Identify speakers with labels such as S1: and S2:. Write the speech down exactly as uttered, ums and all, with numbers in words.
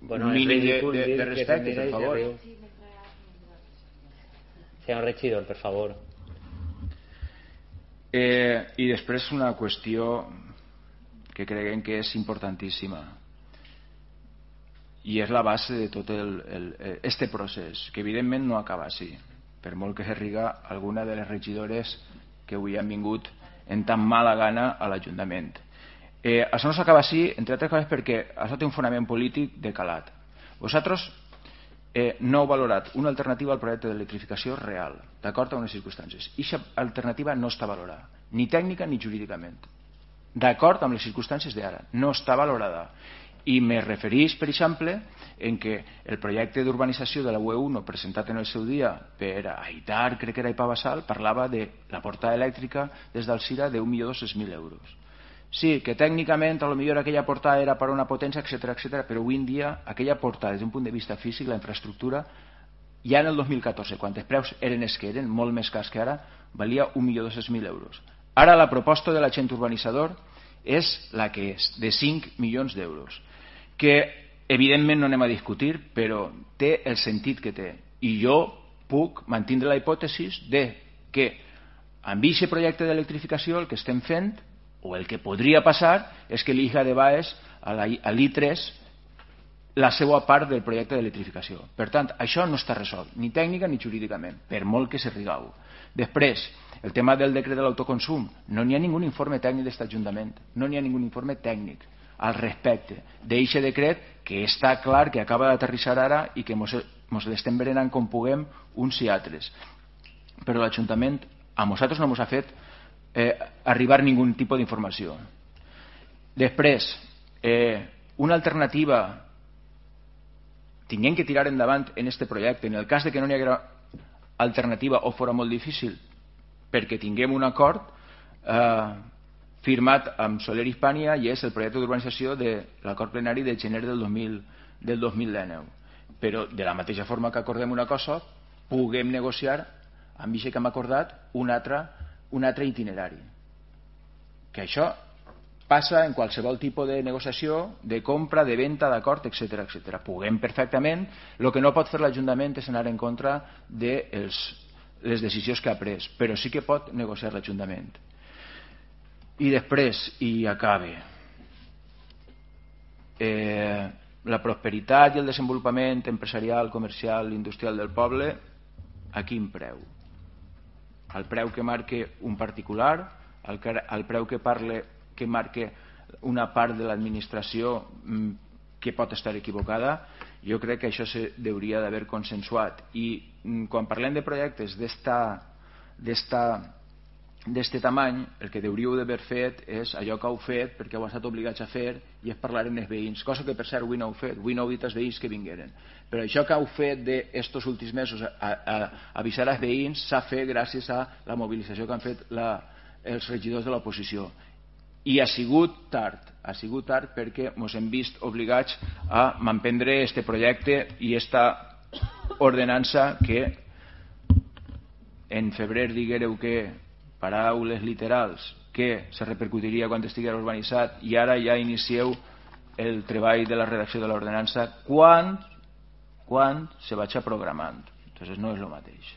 S1: Bueno,
S2: un
S1: es
S2: mínim de,
S1: ridícul
S2: de,
S1: dir
S2: de
S1: que
S2: respecte,
S1: se
S2: per
S1: mira i se
S2: favor.
S1: riu. Senyor regidor, per favor.
S2: Eh, I després una qüestió que creguem que és importantíssima i és la base de tot el, el, este procés, que evidentment no acaba així, per molt que se riga alguna de les regidores que avui han vingut en tan mala gana a l'Ajuntament. Eh, això no s'acaba així, entre altres coses perquè això té un fonament polític de calat. Vosaltres eh, no heu valorat una alternativa al projecte d'electrificació real, d'acord amb les circumstàncies. I aquesta alternativa no està valorada, ni tècnica ni jurídicament. D'acord amb les circumstàncies d'ara, no està valorada. I me referís, per exemple, en què el projecte d'urbanització de la U E uno presentat en el seu dia per Aitar, crec que era Ipabassal, parlava de la portada elèctrica des d'Alzira d'un milió dos-cents mil euros. Sí, que tècnicament a lo millor aquella portada era per una potència, etcètera, etcètera, però avui en dia aquella portada des d'un punt de vista físic, la infraestructura, ja en el dos mil catorze, quan els preus eren els que eren, molt més cars que ara, valia un milió dos-cents mil euros. Ara la proposta de l'agent urbanitzador és la que és, de cinc milions d'euros, que evidentment no anem a discutir, però té el sentit que té. I jo puc mantindre la hipòtesi de que amb aquest projecte d'electrificació el que estem fent, o el que podria passar, és que l'I J A de Baes, a l'I tres, la seva part del projecte d'electrificació. Per tant, això no està resolt, ni tècnica ni jurídicament, per molt que se rigau. Després, el tema del decret de l'autoconsum, no n'hi ha ningú informe tècnic d'aquest Ajuntament, no n'hi ha ningú informe tècnic al respecte d'aquest decret, que està clar que acaba d'aterrissar ara i que mos, mos l'estem berenant com puguem uns i altres. Però l'Ajuntament a nosaltres no ens ha fet eh, arribar ningú tipus d'informació. Després, eh, una alternativa tinguem que tirar endavant en aquest projecte, en el cas de que no n'hi haguera alternativa o fora molt difícil, perquè tinguem un acord eh, firmat amb Soler Hispània, i és el projecte d'urbanització de l'acord plenari de gener del dos mil, del dos mil dinou. Però de la mateixa forma que acordem una cosa, puguem negociar amb això que hem acordat un altre, un altre itinerari. Que això passa en qualsevol tipus de negociació, de compra, de venda, d'acord, etcètera, etcètera. Puguem perfectament, el que no pot fer l'Ajuntament és anar en contra de els, les decisions que ha pres, però sí que pot negociar l'Ajuntament. I després, i acabe, eh, la prosperitat i el desenvolupament empresarial, comercial, industrial del poble, a quin preu? Al preu que marque un particular, al, al preu que parle que marque una part de l'administració que pot estar equivocada. Jo crec que això se hauria d'haver consensuat. I quan parlem de projectes d'este tamany, el que hauríeu d'haver fet és allò que heu fet perquè heu estat obligats a fer, i és parlar amb els veïns, cosa que per cert avui no heu fet, avui no heu dit als veïns que vingueren, però això que heu fet d'estos últims mesos a, a, a avisar als veïns s'ha fet gràcies a la mobilització que han fet la, els regidors de l'oposició. I ha sigut tard, ha sigut tard perquè ens hem vist obligats a manprendre este projecte i esta ordenança que en febrer diguéreu que, paraules literals, que se repercutiria quan estigués urbanitzat, i ara ja inicieu el treball de la redacció de l'ordenança quan, quan se vaig programant. Entonces no és el mateix.